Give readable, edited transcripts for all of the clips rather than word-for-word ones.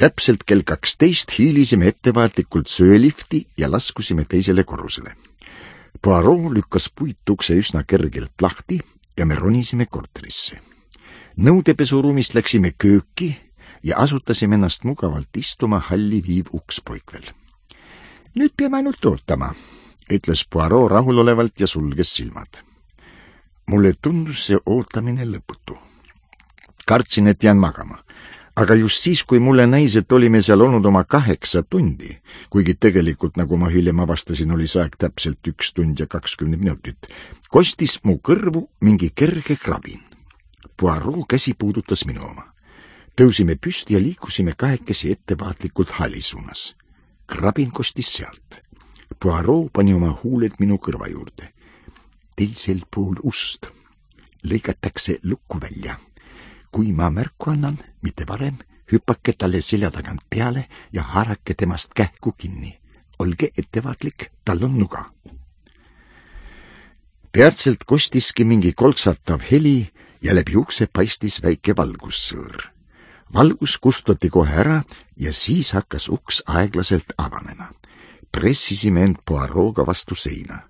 Täpselt kell 12 hiilisime ettevaatlikult söölifti ja laskusime teisele korrusele. Poirot lükkas puitukse üsna kergelt lahti ja me ronisime korterisse. Nõudepesuruumist läksime kööki ja asutasime ennast mugavalt istuma halli viiv uks poikvel. Nüüd peame ainult ootama, ütles Poirot rahulolevalt ja sulges silmad. Mulle tundus see ootamine lõputu. Kartsin, et jään magama, aga just siis, kui mulle näis, et olime seal olnud oma 8 tundi, kuigi tegelikult, nagu ma hiljem avastasin, oli see aeg täpselt 1 tund ja 20 minutit, kostis mu kõrvu mingi kerge krabin. Poirot käsi puudutas minu oma. Tõusime püsti ja liikusime kahekesi ettevaatlikult halli suunas. Krabin kostis sealt. Poirot pani oma huuled minu kõrva juurde. Teisel pool ust lõigatakse lukku välja. Kui ma märku annan, mitte varem, hüppake talle selja tagant peale ja haarake temast kähku kinni. Olge ettevaatlik, tal on nuga. Peatselt kostiski mingi kolksatav heli ja läbi ukse paistis väike valgussõõr. Valgus kustutati kohe ära ja siis hakkas uks aeglaselt avanema. Pressisime end Poirot'ga vastu seina.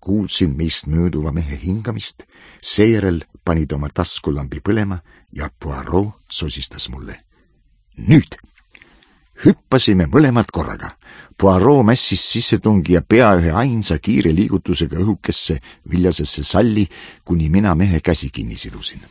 Kuulsin meist mööduva mehe hingamist, seejärel panid oma taskulambi põlema ja Poirot sosistas mulle. Nüüd! Hüppasime mõlemad korraga. Poirot mässis sissetungi ja pea ühe ainsa kiire liigutusega õhukesse viljasesse salli, kuni mina mehe käsi kinni sidusin.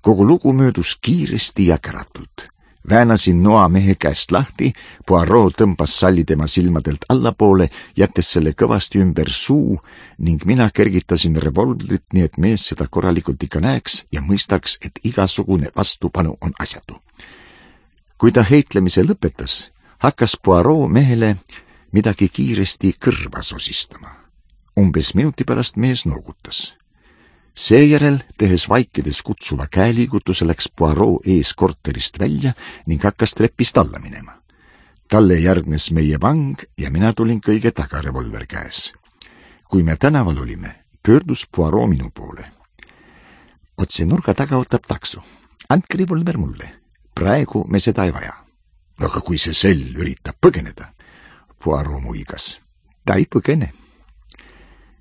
Kogu lugu möödus kiiresti ja käratult. Väänasin noa mehe käest lahti, Poirot tõmbas salli tema silmadelt allapoole, jättes selle kõvasti ümber suu ning mina kergitasin revolvrit, nii et mees seda korralikult ikka näeks ja mõistaks, et igasugune vastupanu on asjatu. Kui ta heitlemise lõpetas, hakkas Poirot mehele midagi kiiresti kõrva sosistama. Umbes minuti pärast mees noogutas. Seejärel, tehes vaikides kutsuva käeliigutuse, läks Poirot ees korterist välja ning hakkas trepist alla minema. Talle järgnes meie vang ja mina tulin kõige taga revolver käes. Kui me tänaval olime, pöördus Poirot minu poole. Otse nurga taga ootab takso. Andke revolver mulle. Praegu me seda ei vaja. Aga kui see sell üritab põgeneda? Poirot muigas. Ta ei põgene.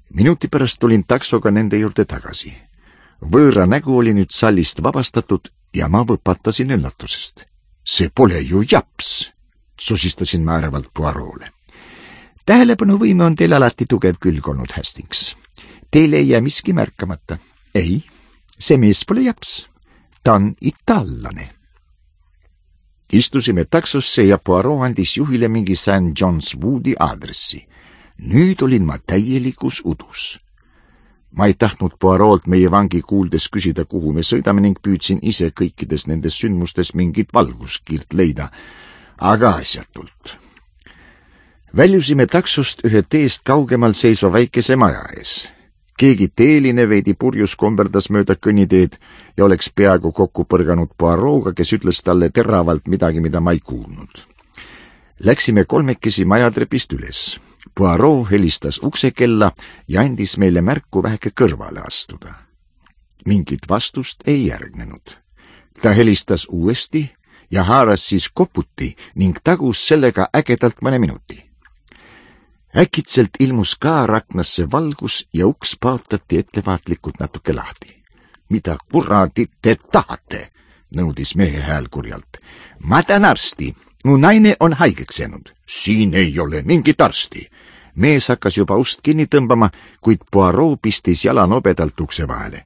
Minuti pärast tulin taksoga nende juurde tagasi. Võõra nägu oli nüüd sallist vabastatud ja ma võpatasin üllatusest. See pole ju japs, sosistasin ma ärevalt Poirot'le. Tähelepanuvõime on teil alati tugev külg olnud, Hastings. Teil ei jää miski märkamata. Ei, see mees pole japs. Ta on itaallane. Istusime taksosse ja Poirot andis juhile mingi St. John's Woodi aadressi. Nüüd olin ma täielikus udus. Ma ei tahtnud Poirot'lt meie vangi kuuldes küsida, kuhu me sõidame ning püüdsin ise kõikides nendes sündmustes mingit valguskiirt leida, aga asjatult. Väljusime taksost ühe teest kaugemal seisva väikese maja ees. Keegi teeline veidi purjus komberdas mööda kõnniteed ja oleks peaaegu kokku põrganud Poirot'ga, kes ütles talle teravalt midagi, mida ma ei kuulnud. Läksime kolmekesi majatrepist üles. Poirot helistas uksekella ja andis meile märku väheke kõrvale astuda. Mingit vastust ei järgnenud. Ta helistas uuesti ja haaras siis koputi ning tagus sellega ägedalt mõne minuti. Äkitselt ilmus ka raknasse valgus ja uks paotati ettevaatlikult natuke lahti. Mida kuradit te tahate? Nõudis mehe hääl kurjalt. Ma tean arsti. Mu naine on haigeks jäänud. Siin ei ole mingit arsti. Mees hakkas juba ust kinni tõmbama, kuid Poirot pistis jala nobedalt ukse vahele.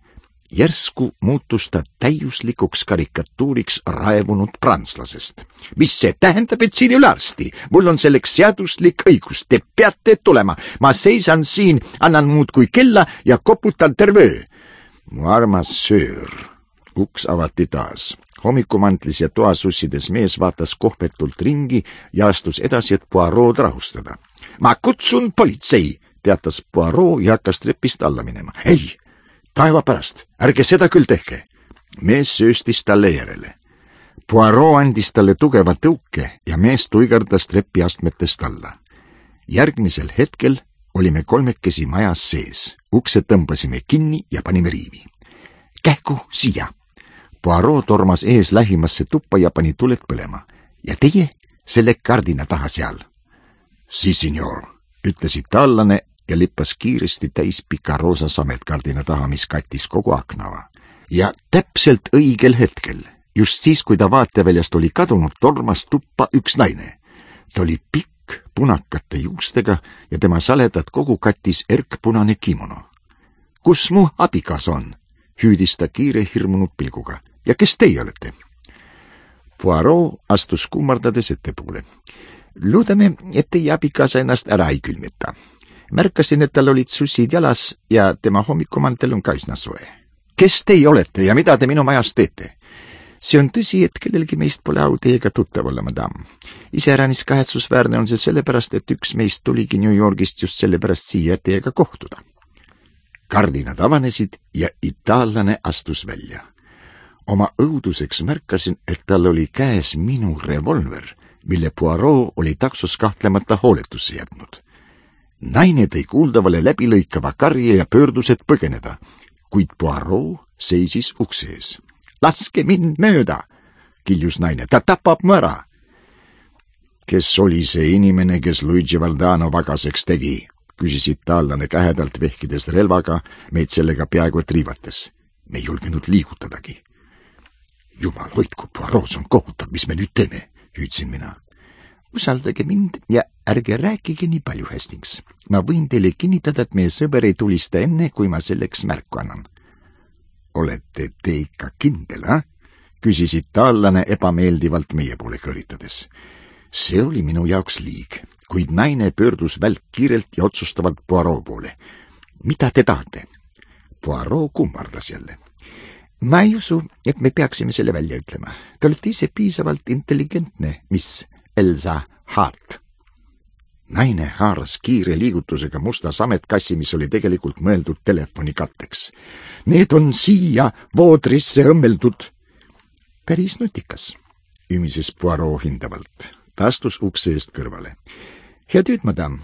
Järsku muutus ta täiuslikuks karikatuuriks raevunud prantslasest. Mis see tähendab, et siin ei ole arsti? Mul on selleks seaduslik õigus. Te peate tulema. Ma seisan siin, annan muud kui kella ja koputan terve öö. Mu armas söör. Uks avati taas. Hommikumantlis ja toasussides mees vaatas kohpetult ringi ja astus edasi, et Poirot rahustada. Ma kutsun politsei, teatas Poirot ja hakkas trepist alla minema. Ei, taeva pärast, ärge seda küll tehke. Mees sööstis talle järele. Poirot andis talle tugeva tõuke ja mees tuigardas trepiastmetest alla. Järgmisel hetkel olime kolmekesi majas sees. Ukse tõmbasime kinni ja panime riivi. Kähku siia! Poirot tormas ees lähimasse tuppa ja pani tuled põlema. Ja teie? selle kardina taha seal. Si, signor, ütles itaallane ja lippas kiiresti täis pika roosa sametkardina taha, mis kattis kogu aknava. Ja täpselt õigel hetkel, just siis, kui ta vaateväljast oli kadunud, tormas tuppa üks naine. Ta oli pikk, punakate juustega ja tema saledat kogu kattis erkpunane kimono. Kus mu abikaas on? Hüüdis ta kiire hirmunud pilguga. Ja kes teie olete? Poirot astus kummardades ettepoole. Loodame, et teie abikaasa ennast ära ei külmita. Märkasin, et tal olid sussid jalas ja tema hommikumantel on ka üsna soe. Kes teie olete ja mida te minu majas teete? See on tõsi, et kellelgi meist pole au teiega tuttav olla, madam. Iseäranis kahetsusväärne on see sellepärast, et üks meist tuligi New Yorgist just sellepärast siia teiega kohtuda. Kardinad avanesid ja itaallane astus välja. Oma õuduseks märkasin, et tal oli käes minu revolver, mille Poirot oli taksos kahtlemata hooletusse jätnud. Naine tõi kuuldavale läbilõikava karje ja pöördus, et põgeneda, kuid Poirot seisis ukse ees. Laske mind mööda, kiljus naine, ta tapab mu ära. Kes oli see inimene, kes Luigi Valdano vagaseks tegi, küsis itaallane kähedalt vehkides relvaga, meid sellega peaaegu et riivates. Me ei julgenud liigutadagi. Jumal hoidku, Poirot, see on kohutav, mis me nüüd teeme, hüüdsin mina. Usaldage mind ja ärge rääkige nii palju, Hastings. Ma võin teile kinnitada, et meie sõber ei tulista enne, kui ma selleks märku annan. Olete te ikka kindel, küsis itaallane ebameeldivalt meie poole kõritades. See oli minu jaoks liig, kuid naine pöördus välk kiirelt ja otsustavalt Poirot poole. Mida te tahate? Poirot kummardas jälle. Ma ei usu, et me peaksime selle välja ütlema. Te olete ise piisavalt intelligentne, mis Elsa Hart. Naine haaras kiire liigutusega musta sametkassi, mis oli tegelikult mõeldud telefoni katteks. Need on siia voodrisse õmmeldud. Päris nutikas, ümises Poirot hindavalt. Ta astus ukse eest kõrvale. Hea tööd, madam.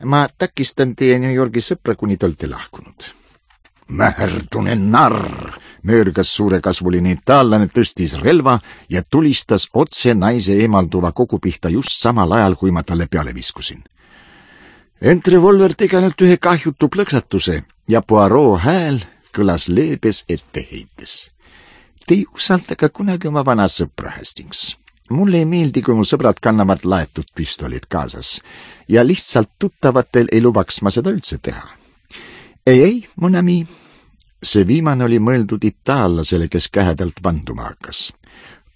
Ma takistan teie New Yorgi sõpra, kuni te olete lahkunud. Mäherdune narr, möörgas suurekasvuline itaallane, tõstis relva ja tulistas otse naise eemalduva kogu pihta just samal ajal, kui ma talle peale viskusin. Ent revolver tegi ainult ühe kahjutu plõksatuse ja Poirot hääl kõlas leebes etteheites. Te ei usalda ka kunagi oma vana sõpra, Hastings. Mulle ei meeldi, kui mu sõbrad kannavad laetud püstolid kaasas ja lihtsalt tuttavatel ei lubaks ma seda üldse teha. Ei, mon ami. See viimane oli mõeldud itaallasele, kes kähedalt vanduma hakkas.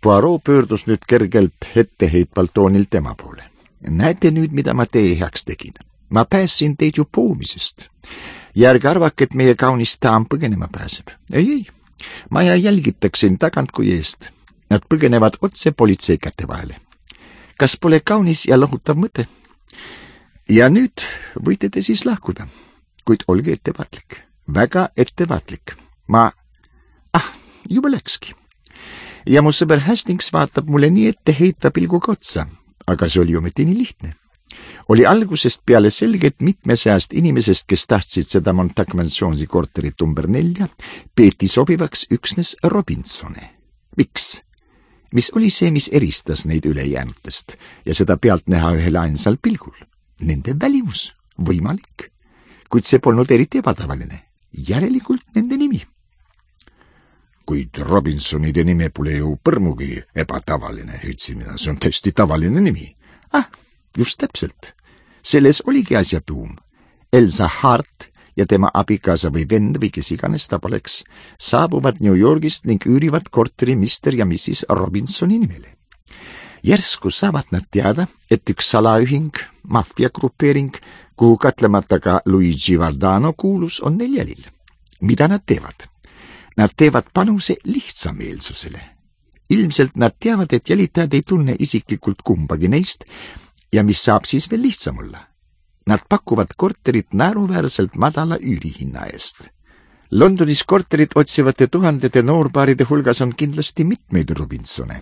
Poirot pöördus nüüd kergelt etteheitvalt toonilt tema poole. Näete nüüd, mida ma teie heaks tegin. Ma päässin teid ju poomisest. Ja ärge arvake, et meie kaunis daam põgenema pääseb. Ei. Maja jälgitaksin tagant kui eest. Nad põgenevad otse politsei käte vahele. Kas pole kaunis ja lohutav mõte? Ja nüüd võite te siis lahkuda. Kuid olge ettevaatlik, väga ettevaatlik. Juba läkski. Ja mu sõber Hastings vaatab mulle nii etteheitva pilguga otsa, aga see oli ometi nii lihtne. Oli algusest peale selge, et mitme seast inimesest, kes tahtsid seda Montag-Mansionsi korterit number 4, peeti sobivaks üksnes Robinsone. Miks? Mis oli see, mis eristas neid ülejäänutest ja seda pealt näha ühel ainsal pilgul? Nende välimus, võimalik. Kuid see polnud eriti ebatavaline. Järelikult nende nimi. Kuid Robinsonide nime pole ju põrmugi ebatavaline, hüüdsin mina. See on tõesti tavaline nimi. Just täpselt. Selles oligi asja tuum. Elsa Hart ja tema abikaasa või vend või kes iganes ta poleks saabuvad New Yorgist ning üürivad korteri Mr. ja Mrs. Robinsoni nimele. Järsku saavad nad teada, et üks salaühing, maffiagrupeering, kuhu katlemata ka Luigi Valdano kuulus, on neil jälil. Mida nad teevad? Nad teevad panuse lihtsameelsusele. Ilmselt nad teavad, et jälitajad ei tunne isiklikult kumbagi neist ja mis saab siis veel lihtsam olla. Nad pakuvad korterit naeruväärselt madala üürihinna eest. Londonis korterit otsivate tuhandete noorpaaride hulgas on kindlasti mitmeid Robinsone.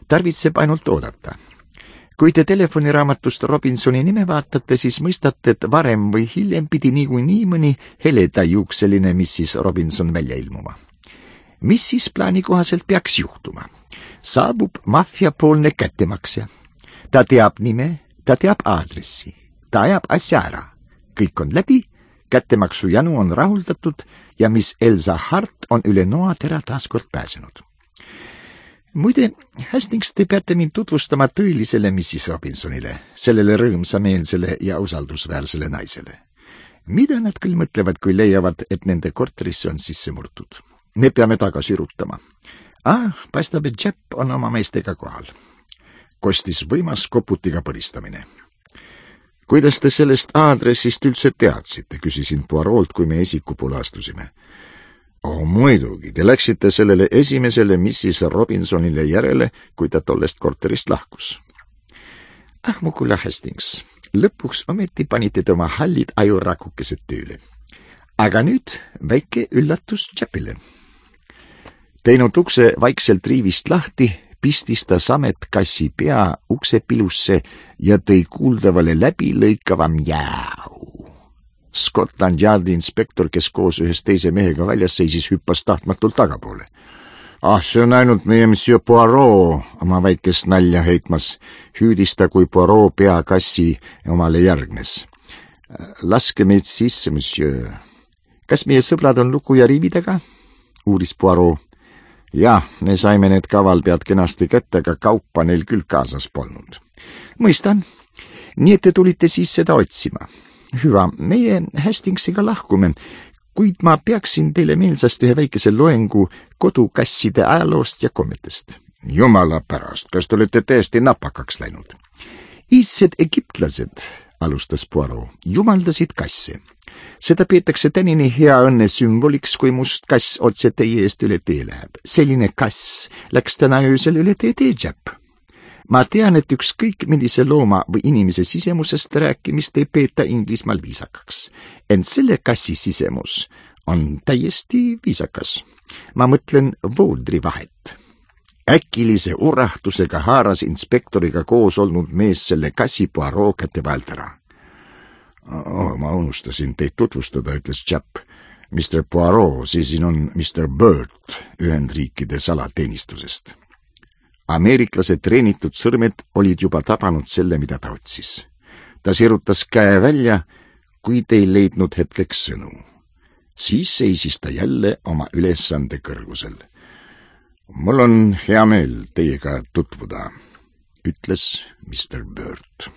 Tarvitseb ainult oodata. Kui te telefoniraamatust Robinsoni nime vaatate, siis mõistate, et varem või hiljem pidi niikuinii mõni heledajuukseline Mrs. Robinson välja ilmuma. Mis siis plaani kohaselt peaks juhtuma? Saabub maffiapoolne kättemaksja. ta teab nime, ta teab aadressi, ta ajab asja ära. Kõik on läbi, kättemaksu janu on rahuldatud ja mis Elsa Hart on üle noatera taaskord pääsenud. Muide, Hastings, te peate mind tutvustama tõelisele Mrs. Robinsonile, sellele rõõmsameelsele ja usaldusväärsele naisele. Mida nad küll mõtlevad, kui leiavad, et nende korterisse on sisse murtud? Me peame tagasi rutama. Paistab, et Jepp on oma meestega kohal. Kostis võimas koputiga põristamine. Kuidas te sellest aadressist üldse teadsite, küsisin Poirolt, kui me esiku poole astusime. Muidugi, te läksite sellele esimesele Mrs. Robinsonile järele, kui ta tollest korterist lahkus. Mu kulla Hastings, lõpuks ometi panite te oma hallid ajurakukesed tööle. Aga nüüd väike üllatus Jeppile. Teinud ukse vaikselt riivist lahti, pistis ta samet kassi pea ukse pilusse ja tõi kuuldavale läbilõikava mjäu. Scotland Yardi inspektor, kes koos ühes teise mehega väljas seisis, hüppas tahtmatult tagapoole. See on ainult meie Monsieur Poirot, oma väikest nalja heitmas, hüüdis ta, kui Poirot pea kassi omale järgnes. Laske meid sisse, monsieur. Kas meie sõbrad on luku ja riivi taga? Uuris Poirot. Jah, me saime need kavalpead kenasti kätte, aga kaupa neil küll kaasas polnud. Mõistan. Nii et te tulite siis seda otsima. Hüva, meie Hastingsiga lahkume, kuid ma peaksin teile meelsast ühe väikese loengu kodukasside ajaloost ja kommetest. Jumala pärast, kas te olete täiesti napakaks läinud? Iidsed egiptlased, alustas Poirot, jumaldasid kasse. Seda peetakse tänini hea õnne sümboliks, kui must kass otse teie eest üle tee läheb. Selline kass läks täna öösel üle tee Jepp. Ma tean, et ükskõik millise looma või inimese sisemusest rääkimist ei peeta Inglismaal viisakaks. Ent selle kassi sisemus on täiesti viisakas. Ma mõtlen voodri vahet. Äkilise urahtusega haaras inspektoriga koos olnud mees selle kassi Poirot kätte vahelt ära. Ma unustasin teid tutvustada, ütles Jepp. Mr. Poirot, siin on Mr. Burt Ühendriikide salateenistusest. Ameeriklase treenitud sõrmed olid juba tabanud selle, mida ta otsis. Ta sirutas käe välja, kuid ei leidnud hetkeks sõnu. Siis seisis ta jälle oma ülesande kõrgusel. Mul on hea meel teiega tutvuda, ütles Mr. Burt.